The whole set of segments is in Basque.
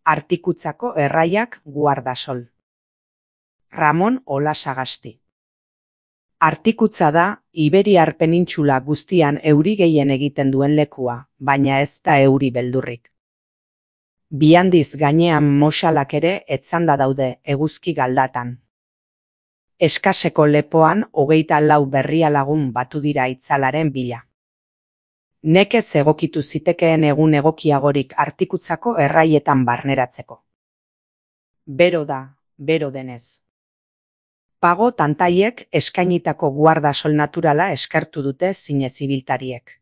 Artikutzako erraiak Guardasol. Ramon Olasagasti. Artikutza da Iberiar penintxula guztian euri gehien egiten duen lekua, baina ez da euri beldurrik. Bi handiz gainean moxalak ere etzanda daude eguzki galdatan. Eskaseko lepoan 24 berria lagun batu dira itzalaren bila. Nekez egokitu zitekeen egun egokiagorik artikutzako erraietan barneratzeko. Bero da, bero denez. Pago tantaiek eskainitako Guardasol naturala eskertu dute zinez ibiltariek.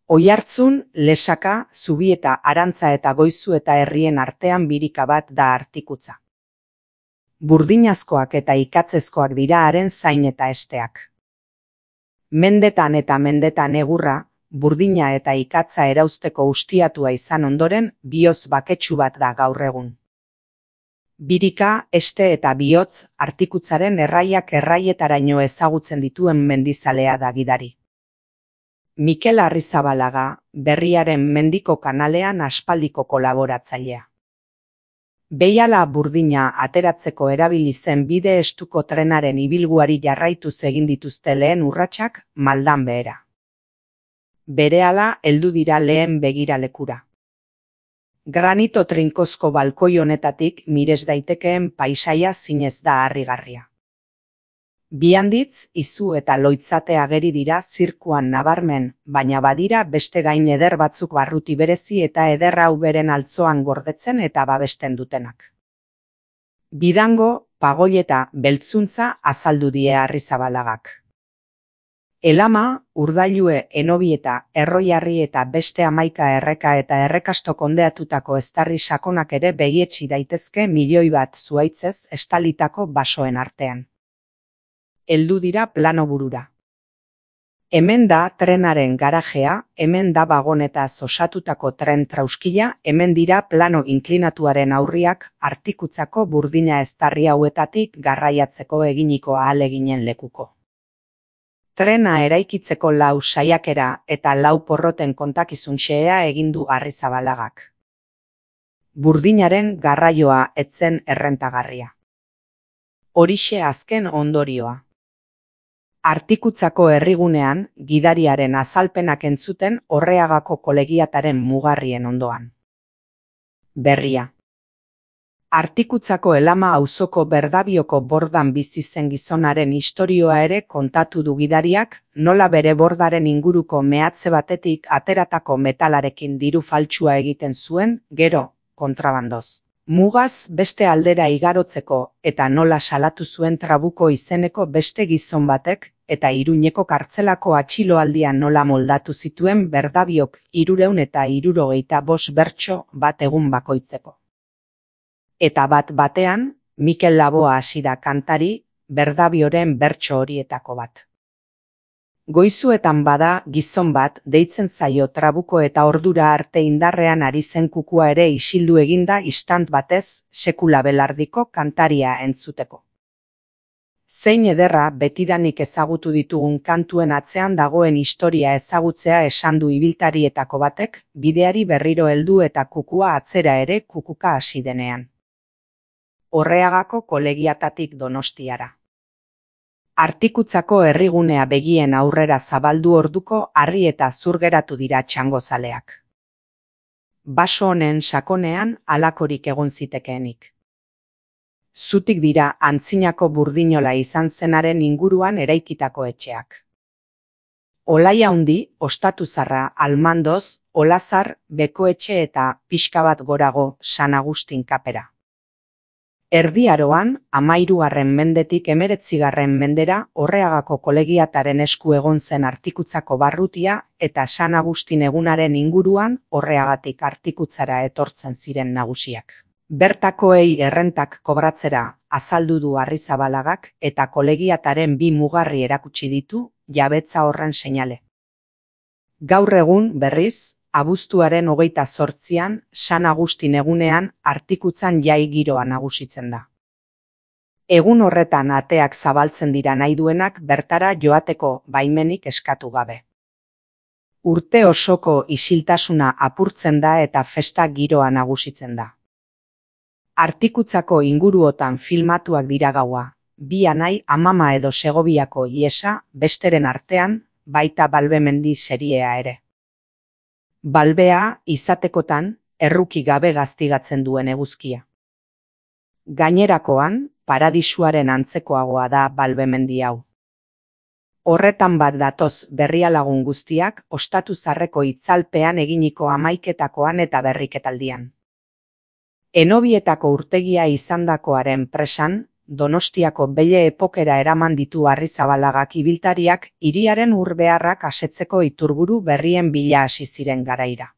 Oiartzun, Lesaka, Zubieta, Arantza eta Goizu eta herrien artean birika bat da artikutza. Burdinazkoak eta ikatzezkoak dira haren zain eta esteak. Mendetan eta mendetan egurra, burdina eta ikatza erauzteko ustiatua izan ondoren, bihotz baketsu bat da gaur egun. Birika, este eta bihotz, artikutzaren erraiak erraietaraino ezagutzen dituen mendizalea da gidari. Mikel Arrizabalaga, Berriaren Mendiko kanalean aspaldiko kolaboratzailea. Behiala burdina ateratzeko erabili zen bide estuko trenaren ibilguari jarraituz egin dituzte lehen urratsak maldan behera. Berehala heldu dira lehen begiralekura. Granito trinkozko balkoi honetatik mires daitekeen paisaia zinez da harrigarria. Bi handitz, izu eta loitzate ageri dira zirkuan nabarmen, baina badira beste gain eder batzuk barruti berezi eta eder hau beren altzoan gordetzen eta babesten dutenak. Bidango, pagoi eta beltzuntza azaldu die Arrizabalagak. Elama, Urdailue, Enobieta, Erroiarri eta beste 11 erreka eta errekasto kondeatutako eztarri sakonak ere begietsi daitezke 1 milioi bat zuhaitzez estalitako basoen artean. Heldu dira plano burura. Hemen da trenaren garajea, hemen da bagonetaz osatutako tren trauskila, hemen dira plano inklinatuaren aurriak artikutzako burdina eztarri hauetatik garraiatzeko eginiko ahaleginen lekuko. Trena eraikitzeko 4 saiakera eta 4 porroten kontakizun xehea egin du Arrizabalagak. Burdinaren garraioa etzen errentagarria. Horixe azken ondorioa. Artikutzako herrigunean, gidariaren azalpenak entzuten Orreagako kolegiataren mugarrien ondoan. Berria. Artikutzako Elama auzoko Berdabioko bordan bizi zen gizonaren istorioa ere kontatu du gidariak, nola bere bordaren inguruko mehatze batetik ateratako metalarekin diru faltsua egiten zuen, gero, kontrabandoz. Mugaz beste aldera igarotzeko eta nola salatu zuen Trabuko izeneko beste gizon batek eta Iruñeko kartzelako atxiloaldian nola moldatu zituen Berdabiok 375 bertso bat egun bakoitzeko. Eta bat batean, Mikel Laboa hasi da kantari, Berdabioren bertso horietako bat. Goizuetan bada gizon bat deitzen zaio Trabuko eta ordura arte indarrean ari zen kukua ere isildu eginda istant batez sekula belardiko kantaria entzuteko. Zein ederra betidanik ezagutu ditugun kantuen atzean dagoen historia ezagutzea esan du ibiltarietako batek, bideari berriro heldu eta kukua atzera ere kukuka hasi denean. Orreagako kolegiatatik Donostiara. Artikutzako herrigunea begien aurrera zabaldu orduko harri eta zur geratu dira txangozaleak. Baso honen sakonean halakorik egon zitekeenik. Zutik dira antzinako burdinola izan zenaren inguruan eraikitako etxeak. Olaia handi, Ostatuzarra, Almandoz, Olazar, Bekoetxe eta pixka bat gorago San Agustin kapera. Erdi Aroan, 13. mendetik 19. mendera Orreagako kolegiataren esku egon zen artikutzako barrutia eta San Agustin egunaren inguruan Orreagatik artikutzara etortzen ziren nagusiak. Bertakoei errentak kobratzera azaldu du Arrizabalagak eta kolegiataren 2 mugarri erakutsi ditu jabetza horren seinale. Gaur egun, berriz, abuztuaren 28an, San Agustin egunean artikutzan jai giroa nagusitzen da. Egun horretan ateak zabaltzen dira nahi duenak bertara joateko baimenik eskatu gabe. Urte osoko isiltasuna apurtzen da eta festa giroa nagusitzen da. Artikutzako inguruotan filmatuak dira gaua, bi anai Amama edo Segoviako Iesa, besteren artean, baita Balbe mendi seriea ere. Balbea, izatekotan, erruki gabe gaztigatzen duen eguzkia. Gainerakoan, paradisuaren antzekoagoa da Balbe mendi hau. Horretan bat datoz berrialagun guztiak ostatu zarreko itzalpean eginiko hamaiketakoan eta berriketaldian. Enobietako urtegia izandakoaren presan, Donostiako belle epokera eraman ditu Arrizabalagak ibiltariak hiriaren urbeharrak asetzeko iturburu berrien bila hasi ziren garaira.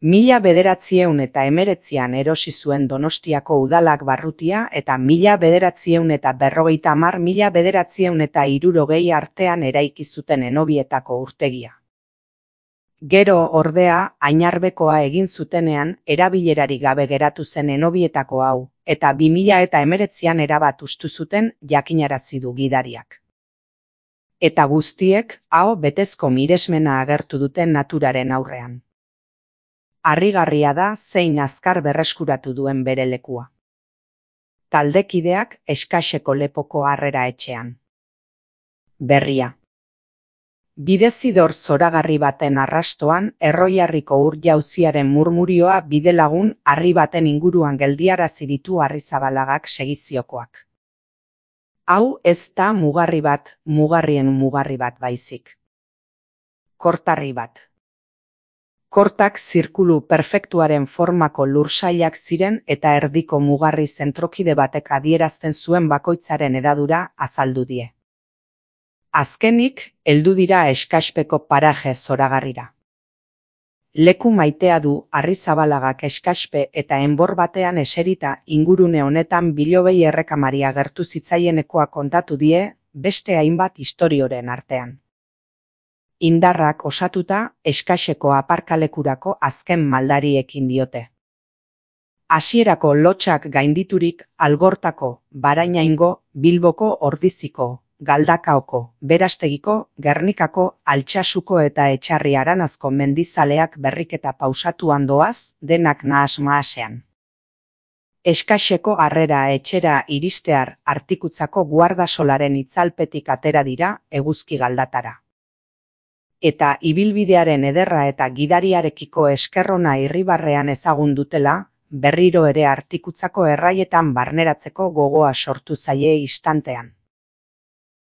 1919an erosi zuen Donostiako udalak barrutia eta 1950–1960 artean eraiki zuten Enobietako urtegia. Gero, ordea, Ainarbekoa egin zutenean erabilerari gabe geratu zen Enobietako hau, eta 2019an erabat hustu zuten jakinarazi du gidariak. Eta guztiek, aho betezko miresmena agertu duten naturaren aurrean. Harrigarria da zein azkar berreskuratu duen bere lekua. Taldekideak Eskaseko lepoko Harrera etxean. Berria. Bidezidor zoragarri baten arrastoan Erroiarriko ur-jauziaren murmurioa bidelagun harri baten inguruan geldiarazi ditu Arrizabalagak segiziokoak. Hau ez da mugarri bat, mugarrien mugarri bat baizik. Kortarri bat. Kortak zirkulu perfektuaren formako lursailak ziren eta erdiko mugarri zentrokide batek adierazten zuen bakoitzaren hedadura azaldu die. Azkenik, heldu dira Eskaspeko paraje zoragarrira. Leku maitea du Arrizabalagak Eskaspe eta enbor batean eserita ingurune honetan bilobei errekamari agertu zitzaienekoa kontatu die beste hainbat istorioren artean. Indarrak osatuta Eskaseko aparkalekurako azken maldariekin diote. Hasierako lotxak gainditurik Algortako, Barainaingo, Bilboko Ordiziko, Galdakaoko, Berastegiko, Gernikako, Altsasuko eta Etxarri Aranazko mendizaleak berriketa pausatuan doaz, denak nahas-mahasean. Eskaseko Harrera etxera iristear Artikutzako guardasolaren itzalpetik atera dira eguzki galdatara. Eta ibilbidearen ederra eta gidariarekiko eskerrona irribarrean ezagun dutela, berriro ere Artikutzako erraietan barneratzeko gogoa sortu zaie istantean.